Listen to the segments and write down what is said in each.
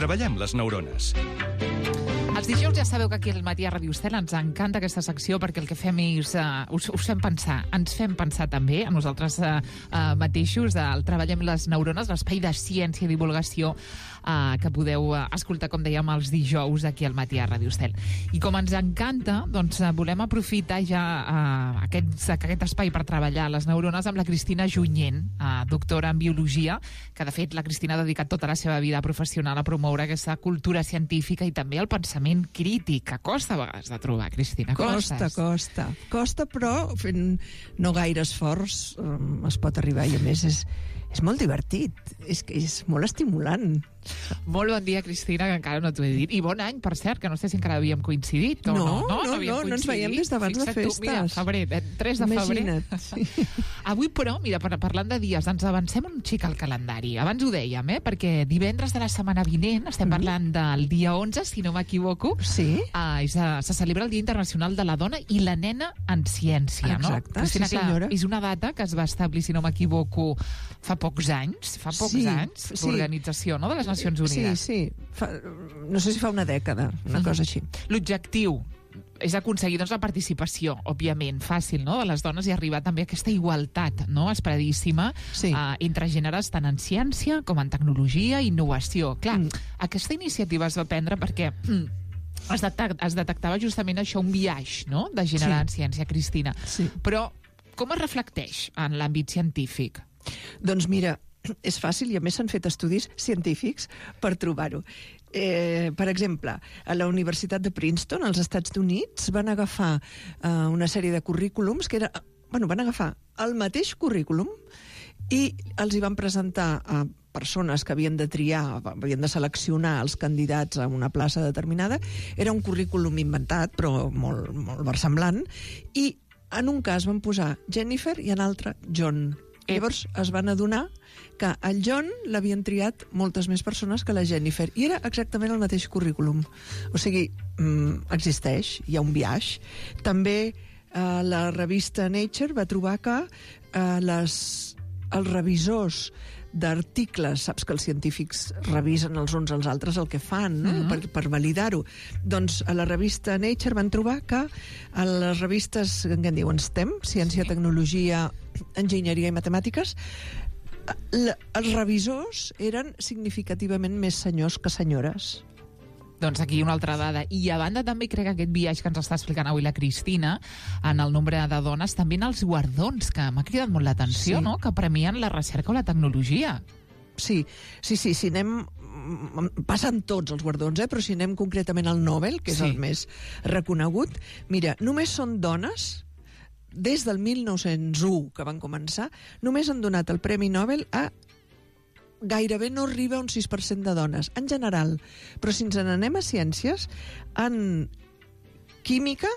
Treballem les neurones. Els dijous ja sabeu que aquí al Matí a Ràdio Estel ens encanta aquesta secció perquè el que fem és us fem pensar, ens fem pensar també a nosaltres mateixos, el Treballem les neurones, l'espai de ciència i divulgació que podeu escoltar, com dèiem, els dijous aquí al Matí a Ràdio Estel. I com ens encanta, doncs volem aprofitar ja aquest espai per treballar les neurones amb la Cristina Junyent, doctora en biologia, que de fet la Cristina ha dedicat tota la seva vida professional a promoure aquesta cultura científica i també el pensament crític, que costa a vegades de trobar, Cristina. Costa, però fent no gaire esforç es pot arribar, i a més és molt divertit, és molt estimulant. Molt bon dia, Cristina, que encara no t'ho he dit. I bon any, per cert, que no sé si encara havíem coincidit o no. No ens veiem des d'abans de festes. Mira, febrer, 3 de febrer. Imagina't. Sí. Avui, però, mira, parlant de dies, ens avancem un xic al calendari. Abans ho dèiem, perquè divendres de la setmana vinent, estem parlant del dia 11, si no m'equivoco, sí? Se celebra el Dia Internacional de la Dona i la Nena en Ciència. Exacte, no? Cristina, sí senyora. Clar, és una data que es va establir, si no m'equivoco, fa pocs anys, l'organització, no?, de les Nacions Unides. Sí. No sé si fa una dècada, una cosa així. L'objectiu és aconseguir la participació, òbviament, fàcil, no?, de les dones i arribar també a aquesta igualtat, no?, esperadíssima, entre gèneres tant en ciència com en tecnologia i innovació. Clar, aquesta iniciativa es va prendre perquè es detectava justament això, un biaix, no?, de gènere en ciència, Cristina. Sí. Però com es reflecteix en l'àmbit científic? Doncs mira, és fàcil, i a més s'han fet estudis científics per trobar-ho. Per exemple, a la Universitat de Princeton, als Estats Units, van agafar una sèrie de currículums que van agafar el mateix currículum i els hi van presentar a persones que havien de triar, havien de seleccionar els candidats a una plaça determinada. Era un currículum inventat, però molt, molt versemblant, i en un cas van posar Jennifer i en l'altre John. Llavors es van adonar que el John l'havien triat moltes més persones que la Jennifer, i era exactament el mateix currículum. O sigui, existeix, hi ha un biaix. També la revista Nature va trobar que els revisors d'articles, saps que els científics revisen els uns als altres el que fan, no? per validar-ho. Doncs a la revista Nature van trobar que a les revistes que en diuen STEM, ciència, tecnologia, enginyeria i matemàtiques, els revisors eren significativament més senyors que senyores. Doncs aquí una altra dada. I a banda també crec que aquest viatge que ens està explicant avui la Cristina, en el nombre de dones, també en els guardons, que m'ha cridat molt l'atenció, no?, que premien la recerca o la tecnologia. Sí, anem... Passen tots els guardons, però si anem concretament al Nobel, que és el més reconegut, mira, només són dones, des del 1901 que van començar, només han donat el Premi Nobel a gairebé no arriba a un 6% de dones, en general. Però si ens n'anem a ciències, en química,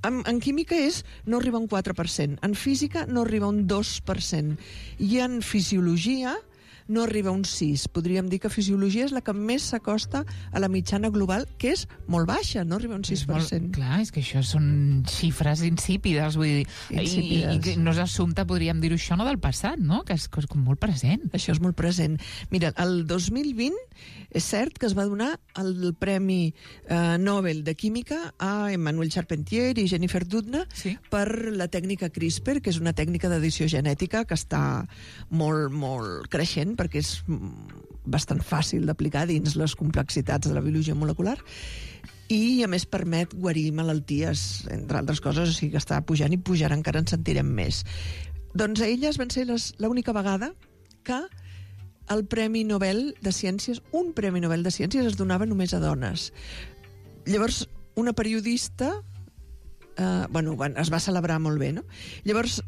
en química no arriba a un 4%, en física no arriba a un 2%, i en fisiologia no arriba a un 6%. Podríem dir que fisiologia és la que més s'acosta a la mitjana global, que és molt baixa, no arriba a un 6%. Clar, és que això són xifres insípides, vull dir, i no és assumpte, podríem dir-ho això, no del passat, no?, que és com molt present. Això és molt present. Mira, el 2020 és cert que es va donar el Premi Nobel de Química a Emmanuel Charpentier i Jennifer Doudna per la tècnica CRISPR, que és una tècnica d'edició genètica que està molt, molt creixent, perquè és bastant fàcil d'aplicar dins les complexitats de la biologia molecular, i a més permet guarir malalties, entre altres coses, o sigui que està pujant i pujarà, encara en sentirem més. Doncs elles van ser l'única vegada que el Premi Nobel de Ciències, un Premi Nobel de Ciències, es donava només a dones. Llavors, una periodista es va celebrar molt bé, no? Llavors,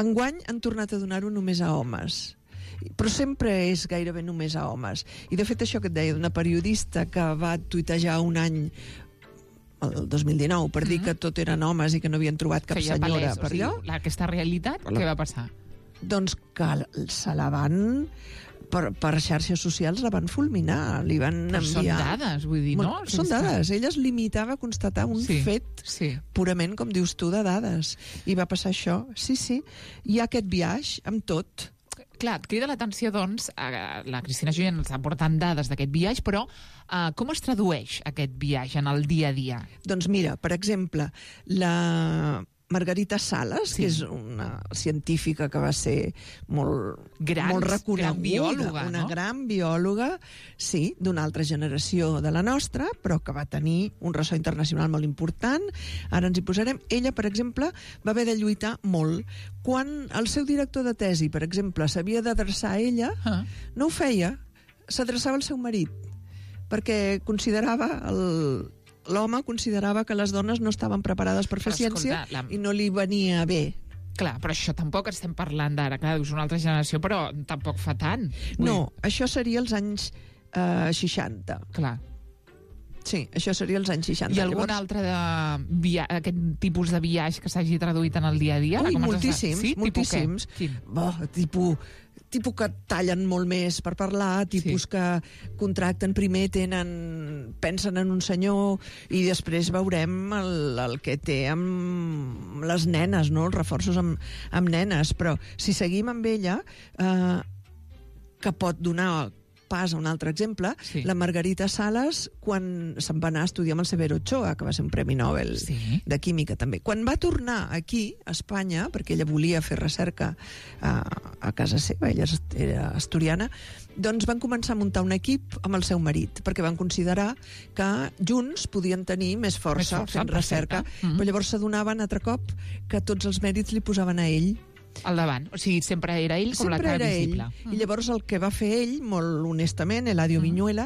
enguany han tornat a donar-ho només a homes, però sempre és gairebé només a homes. I de fet això que et deia, d'una periodista que va tuitejar un any, el 2019, per dir que tot eren homes i que no havien trobat cap senyora per allò. Aquesta realitat, què va passar? Doncs que se la van... Per xarxes socials la van fulminar, li van enviar... Són dades, vull dir, no? Són dades. Ella es limitava a constatar un fet purament, com dius tu, de dades. I va passar això. Sí, hi ha aquest biaix amb tot. Clar, et crida l'atenció, doncs, la Cristina Junyent ens està portant dades d'aquest viatge, però com es tradueix aquest viatge en el dia a dia? Doncs mira, per exemple, la Margarita Salas, que és una científica que va ser molt reconeguda, gran biòloga, una gran biòloga, sí, d'una altra generació de la nostra, però que va tenir un ressò internacional molt important. Ara ens hi posarem. Ella, per exemple, va haver de lluitar molt. Quan el seu director de tesi, per exemple, s'havia d'adreçar a ella, no ho feia, s'adreçava al seu marit, perquè l'home considerava que les dones no estaven preparades per fer ciència i no li venia bé. Clar, però això tampoc estem parlant d'ara. Clar, és una altra generació, però tampoc fa tant. No, això seria els anys 60. Clar. Sí, això seria els anys 60. I algun altre aquest tipus de viatge que s'hagi traduït en el dia a dia? Ui, moltíssims, moltíssims. Tipus que tallen molt més per parlar, tipus que contracten primer, pensen en un senyor i després veurem el que té amb les nenes, no? Els reforços amb nenes. Però si seguim amb ella, que pot donar pas a un altre exemple, la Margarita Salas, quan se'n va anar a estudiar amb el Severo Ochoa, que va ser un Premi Nobel de Química també. Quan va tornar aquí, a Espanya, perquè ella volia fer recerca a casa seva, ella era asturiana, doncs van començar a muntar un equip amb el seu marit, perquè van considerar que junts podien tenir més força fent recerca. Però llavors s'adonaven altre cop que tots els mèrits li posaven a ell. Al davant, o sigui, sempre era ell com la cara visible. I llavors el que va fer ell, molt honestament, Eladio Viñuela,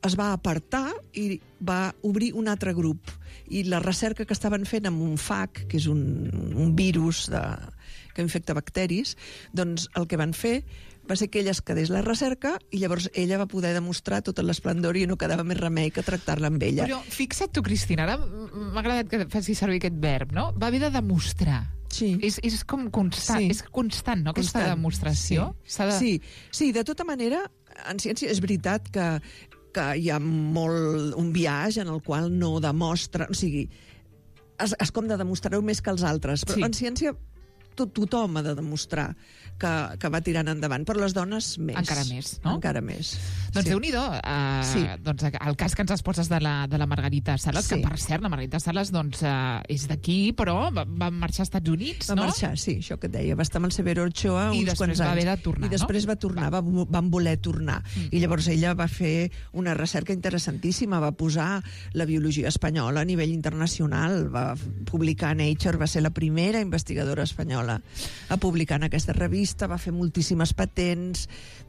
es va apartar i va obrir un altre grup. I la recerca que estaven fent amb un FAC, que és un virus que infecta bacteris, doncs el que van fer va ser que ella es quedés la recerca i llavors ella va poder demostrar tot l'esplendor i no quedava més remei que tractar-la amb ella. Però fixa't tu, Cristina, ara m'ha agradat que facis servir aquest verb, no? Va haver de demostrar. Sí. És com constant, és constant, no?, aquesta demostració. Sí, de tota manera, en ciència és veritat que hi ha un viatge en el qual no demostra, o sigui, és com de demostrar-ho més que els altres, però en ciència tothom ha de demostrar que va tirant endavant, però les dones més. Encara més, no? Encara més. Doncs Déu-n'hi-do, doncs el cas que ens exposes de la Margarita Salas, que per cert, la Margarita Salas doncs, és d'aquí, però va marxar als Estats Units, no? Va marxar, sí, això que et deia, va estar amb el Severo Ochoa uns quants anys. I després va haver de tornar, I després va tornar, van voler tornar. I llavors ella va fer una recerca interessantíssima, va posar la biologia espanyola a nivell internacional, va publicar a Nature, va ser la primera investigadora espanyola a publicar en aquesta revista, va fer moltíssimes patents,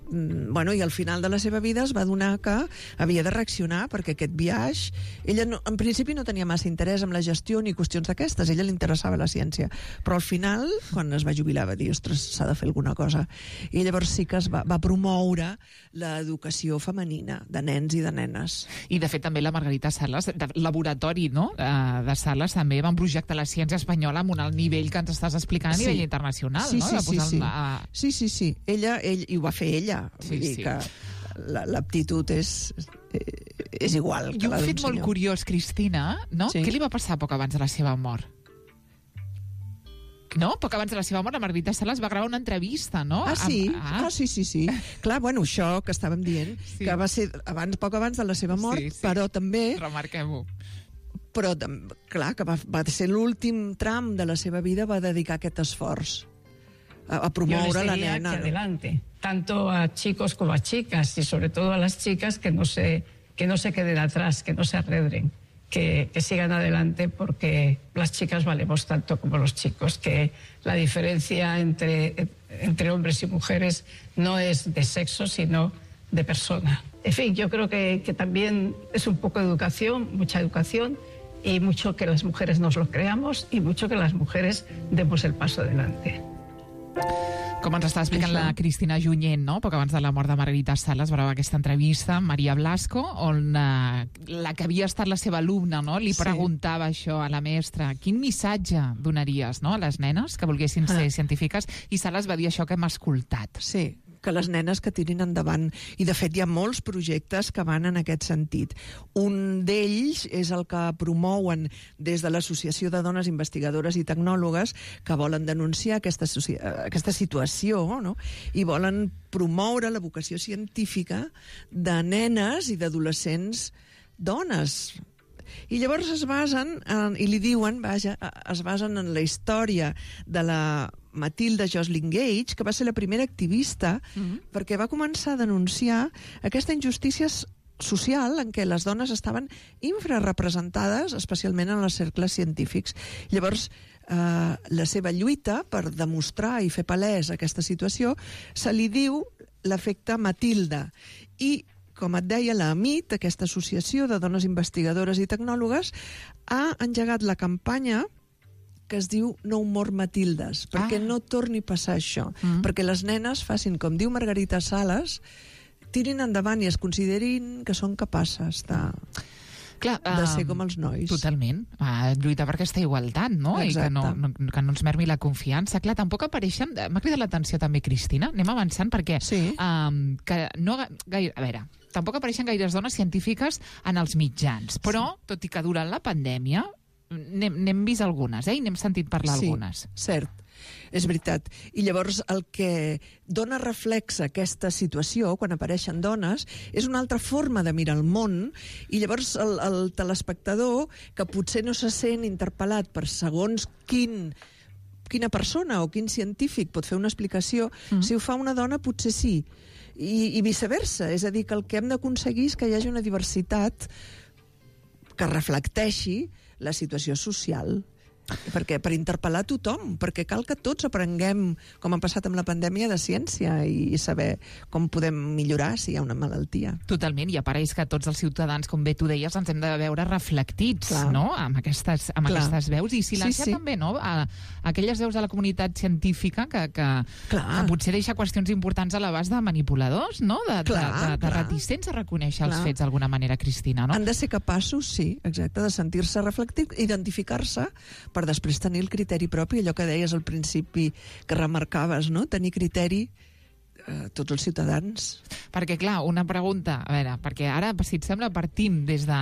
i al final de la seva vida es va adonar que havia de reaccionar, perquè aquest viatge, ella en principi no tenia massa interès en la gestió ni qüestions d'aquestes, ella li interessava la ciència, però al final, quan es va jubilar, va dir, ostres, s'ha de fer alguna cosa. I llavors sí que va promoure l'educació femenina de nens i de nenes. I de fet també la Margarita Salas, de laboratori, no?, de Salas, també van projectar la ciència espanyola amb un alt nivell que ens estàs explicant a nivell internacional, no? Sí. Ella, i ho va fer ella. Vull dir que l'aptitud és igual que la d'un senyor. I un fet molt curiós, Cristina, no? Què li va passar poc abans de la seva mort? No? Poc abans de la seva mort, la Margarita Salas va gravar una entrevista, no? Sí. Clar, això que estàvem dient, que va ser poc abans de la seva mort, però també... Remarquem-ho. Però, clar, que va ser l'últim tram de la seva vida, va dedicar aquest esforç a promoure la nena. Que adelante, tanto a chicos como a chicas, y sobre todo a las chicas, que no se queden atrás, que no se arredren, que sigan adelante, porque las chicas valemos tanto como los chicos, que la diferencia entre hombres y mujeres no es de sexo, sino de persona. En fin, yo creo que también es un poco de educación, mucha educación, y mucho que las mujeres nos lo creamos y mucho que las mujeres demos el paso adelante. Com ens està explicant la Cristina Junyent, no?, poc abans de la mort de Margarita Salas, va gravar aquesta entrevista amb Maria Blasco, on la que havia estat la seva alumna, no?, li preguntava això a la mestra, quin missatge donaries, no?, a les nenes que volguessin ser científiques, i Salas va dir això que hem escoltat. Sí, que les nenes que tirin endavant. I, de fet, hi ha molts projectes que van en aquest sentit. Un d'ells és el que promouen des de l'Associació de Dones Investigadores i Tecnòlogues, que volen denunciar aquesta situació, no? I volen promoure la vocació científica de nenes i d'adolescents dones. I llavors es basen, i li diuen, es basen en la història de la Matilda Joslyn Gage, que va ser la primera activista, perquè va començar a denunciar aquesta injustícia social en què les dones estaven infrarrepresentades, especialment en els cercles científics. Llavors, la seva lluita per demostrar i fer palès aquesta situació se li diu l'efecte Matilda. I com et deia, la AMIT, aquesta associació de dones investigadores i tecnòlogues, ha engegat la campanya que es diu No More Matildes, perquè no torni a passar això, perquè les nenes facin, com diu Margarita Sales, tirin endavant i es considerin que són capaces de ser com els nois. Totalment. Lluitar per aquesta igualtat, no? Exacte. I que no ens mermi la confiança. Clar, tampoc apareixen... M'ha cridat l'atenció també, Cristina. Anem avançant perquè... Sí. Que no gaire... A veure, tampoc apareixen gaires dones científiques en els mitjans, però, tot i que durant la pandèmia, n'hem vist algunes, i n'hem sentit parlar algunes. Sí, cert. És veritat. I llavors el que dona reflex a aquesta situació, quan apareixen dones, és una altra forma de mirar el món, i llavors el telespectador, que potser no se sent interpel·lat per segons quina persona o quin científic pot fer una explicació, si ho fa una dona potser sí, i viceversa. És a dir, que el que hem d'aconseguir és que hi hagi una diversitat que reflecteixi la situació social. Perquè per interpel·lar tothom, perquè cal que tots aprenguem, com ha passat amb la pandèmia, de ciència i saber com podem millorar si hi ha una malaltia. Totalment, i apareix que tots els ciutadans, com bé tu deies, ens hem de veure reflectits, no? Amb aquestes veus, i silenciar també, no? Aquelles veus de la comunitat científica que potser deixa qüestions importants a l'abast de manipuladors, no? De reticents a reconèixer els fets d'alguna manera, Cristina, no? Han de ser capaços, sí, exacte, de sentir-se reflectits, identificar-se, per després tenir el criteri propi, allò que deies al principi, que remarcaves, no? Tenir criteri tots els ciutadans. Perquè, clar, una pregunta, a veure, perquè ara, si et sembla, partim des de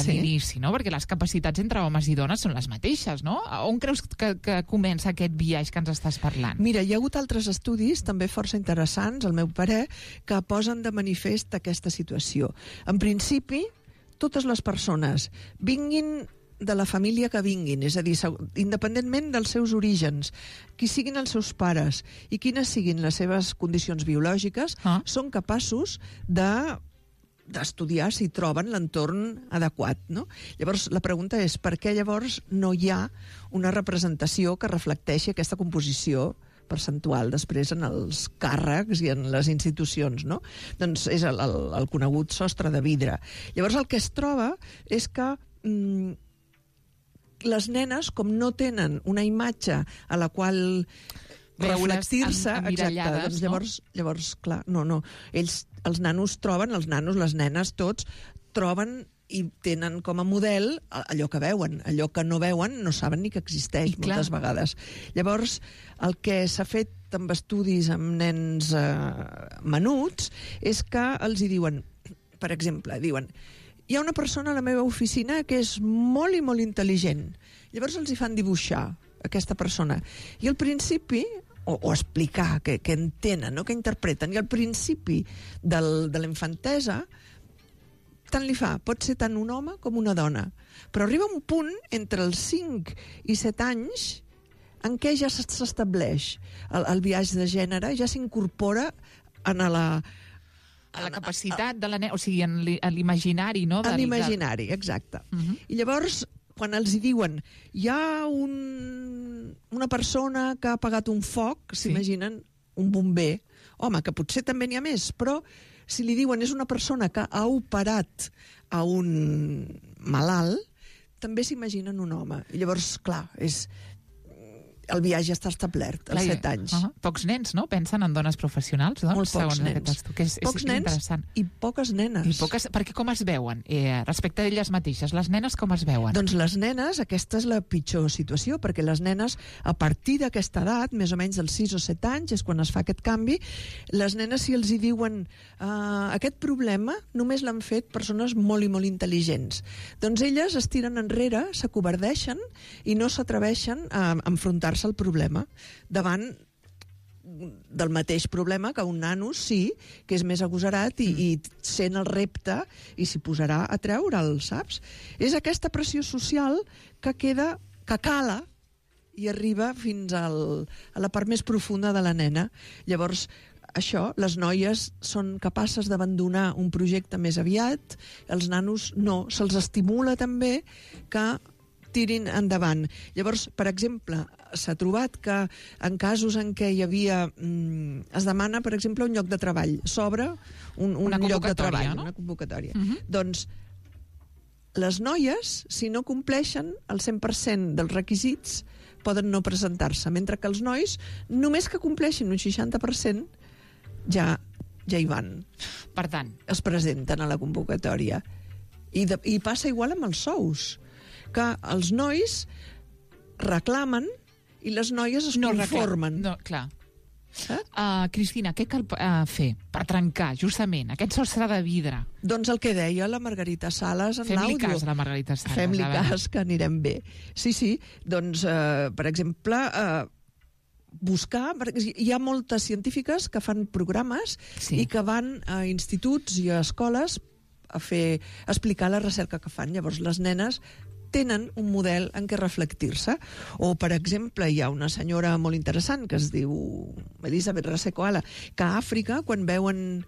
l'inici, no? Perquè les capacitats entre homes i dones són les mateixes, no? On creus que comença aquest biaix que ens estàs parlant? Mira, hi ha hagut altres estudis, també força interessants, al meu parer, que posen de manifest aquesta situació. En principi, totes les persones, vinguin de la família que vinguin, és a dir, independentment dels seus orígens, qui siguin els seus pares i quines siguin les seves condicions biològiques, són capaços d'estudiar si troben l'entorn adequat, no? Llavors, la pregunta és per què llavors no hi ha una representació que reflecteixi aquesta composició percentual després en els càrrecs i en les institucions, no? Doncs és el conegut sostre de vidre. Llavors, el que es troba és que les nenes, com no tenen una imatge a la qual reflectir-se, doncs llavors, clar, no. Els nanos troben, les nenes, tots, troben i tenen com a model allò que veuen. Allò que no veuen no saben ni que existeix moltes vegades. Llavors, el que s'ha fet amb estudis amb nens menuts és que els hi diuen, per exemple, hi ha una persona a la meva oficina que és molt i molt intel·ligent. Llavors els hi fan dibuixar aquesta persona. I al principi, o explicar què entenen, no? Què interpreten. I al principi de la infantesa, tant li fa, pot ser tant un home com una dona. Però arriba un punt, entre els 5 i 7 anys, en què ja s'estableix el biaix de gènere, ja s'incorpora en a la capacitat de la nena, o sigui, en l'imaginari, no? En l'imaginari, exacte. I llavors, quan els hi diuen hi ha una persona que ha apagat un foc, s'imaginen un bomber. Home, que potser també n'hi ha més, però si li diuen és una persona que ha operat a un malalt, també s'imaginen un home. I llavors, clar, el viatge està establert, als 7 anys. Pocs nens, no?, pensen en dones professionals, doncs, molt pocs nens. Pocs nens i poques nenes. Perquè com es veuen? Respecte d'elles mateixes, les nenes com es veuen? Doncs les nenes, aquesta és la pitjor situació, perquè les nenes, a partir d'aquesta edat, més o menys dels 6 o 7 anys, és quan es fa aquest canvi, les nenes, si els hi diuen aquest problema, només l'han fet persones molt i molt intel·ligents. Doncs elles es tiren enrere, s'acovardeixen i no s'atreveixen a enfrontar-se al problema davant del mateix problema que un nano sí, que és més agosarat i sent el repte i s'hi posarà a treure'l, saps? És aquesta pressió social que queda, que cala i arriba fins a la part més profunda de la nena. Llavors, això, les noies són capaces d'abandonar un projecte més aviat, els nanos no, se'ls estimula també que tirin endavant. Llavors, per exemple, s'ha trobat que en casos en què hi havia... es demana, per exemple, un lloc de treball. S'obre un lloc de treball, no? Una convocatòria. Doncs les noies, si no compleixen el 100% dels requisits, poden no presentar-se, mentre que els nois, només que compleixin un 60%, ja hi van. Per tant, es presenten a la convocatòria. I passa igual amb els sous, que els nois reclamen i les noies es conformen. No, clar. Cristina, què cal fer per trencar justament aquest sostre de vidre? Doncs el que deia la Margarita Sales en l'àudio. Fem-li cas a la Margarita Sales. Fem-li cas, que anirem bé. Sí, doncs, per exemple, buscar... Hi ha moltes científiques que fan programes i que van a instituts i a escoles a explicar la recerca que fan. Llavors, les nenes tenen un model en què reflectir-se. O, per exemple, hi ha una senyora molt interessant que es diu Elisabeth Rasecoala, que a Àfrica, quan veuen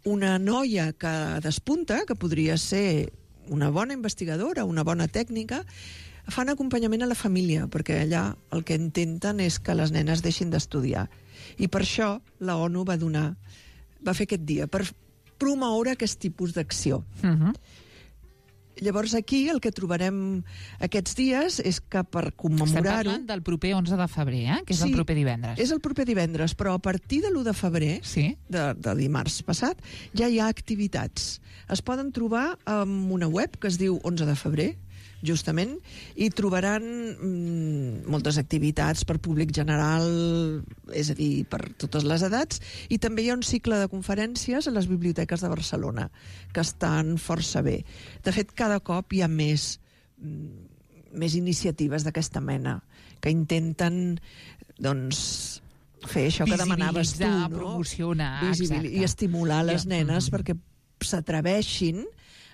una noia que despunta, que podria ser una bona investigadora, una bona tècnica, fan acompanyament a la família, perquè allà el que intenten és que les nenes deixin d'estudiar. I per això la ONU va fer aquest dia, per promoure aquest tipus d'acció. Llavors aquí el que trobarem aquests dies és que per commemorar-ho... Estem parlant del proper 11 de febrer, que és el proper divendres. És el proper divendres, però a partir de l'1 de febrer, de dimarts passat, ja hi ha activitats. Es poden trobar en una web que es diu 11 de febrer, justament, i trobaran moltes activitats per públic general, és a dir, per totes les edats, i també hi ha un cicle de conferències a les biblioteques de Barcelona, que estan força bé. De fet, cada cop hi ha més iniciatives d'aquesta mena, que intenten, doncs, fer això que demanaves tu, no? Promocionar, i estimular les nenes perquè s'atreveixin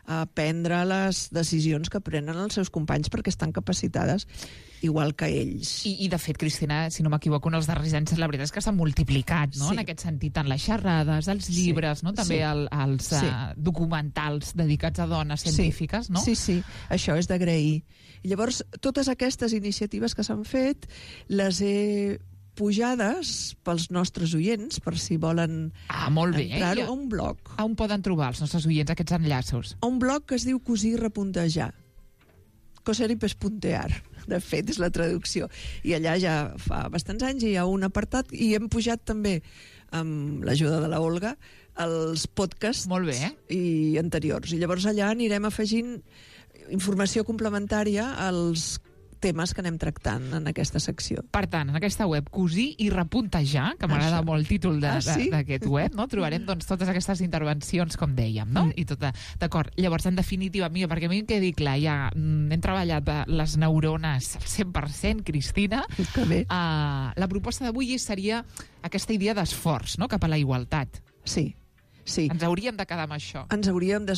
a prendre les decisions que prenen els seus companys perquè estan capacitades igual que ells. I de fet, Cristina, si no m'equivoco, en els darrers anys la veritat és que s'ha multiplicat, no? En aquest sentit, tant les xerrades, els llibres, no? També els documentals dedicats a dones científiques, no? Sí, això és d'agrair. I llavors, totes aquestes iniciatives que s'han fet les he pujades pels nostres oients, per si volen entrar-ho a un blog. On poden trobar els nostres oients aquests enllaços? A un blog que es diu Cosir i Repuntejar. Coser i pespuntear, de fet, és la traducció. I allà ja fa bastants anys hi ha un apartat i hem pujat també, amb l'ajuda de la Olga, els podcasts i anteriors. I llavors allà anirem afegint informació complementària als temes que anem tractant en aquesta secció. Per tant, en aquesta web, Cosir i Repuntejar, que m'agrada molt el títol d'aquest web, no? Trobarem doncs, totes aquestes intervencions, com dèiem, no? I tot, d'acord. Llavors, en definitiva, perquè a mi em quedi clar, ja hem treballat les neurones al 100%, Cristina. Que bé. La proposta d'avui seria aquesta idea d'esforç, no?, cap a la igualtat. Sí. Ens hauríem de quedar amb això. Ens hauríem de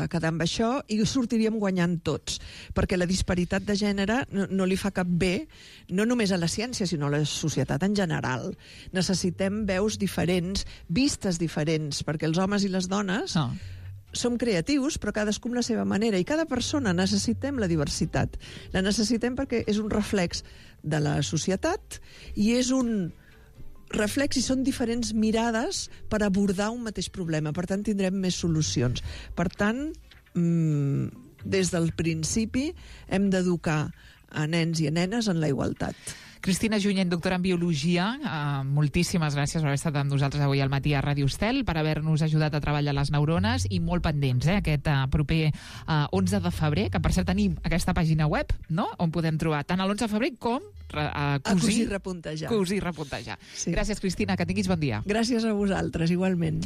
quedar amb això i sortiríem guanyant tots, perquè la disparitat de gènere no li fa cap bé, no només a la ciència, sinó a la societat en general. Necessitem veus diferents, vistes diferents, perquè els homes i les dones som creatius, però cadascú amb la seva manera, i cada persona necessitem la diversitat. La necessitem perquè és un reflex de la societat i és un reflex i són diferents mirades per abordar un mateix problema. Per tant, tindrem més solucions. Per tant, des del principi hem d'educar a nens i a nenes en la igualtat. Cristina Junyent, doctora en Biologia, moltíssimes gràcies per haver estat amb nosaltres avui al matí a Ràdio Estel, per haver-nos ajudat a treballar les neurones, i molt pendents, aquest proper 11 de febrer, que per cert tenim aquesta pàgina web, no?, on podem trobar tant l'11 de febrer com cosir, repuntejar. Cosir, repuntejar. Sí. Gràcies, Cristina, que tinguis bon dia. Gràcies a vosaltres, igualment.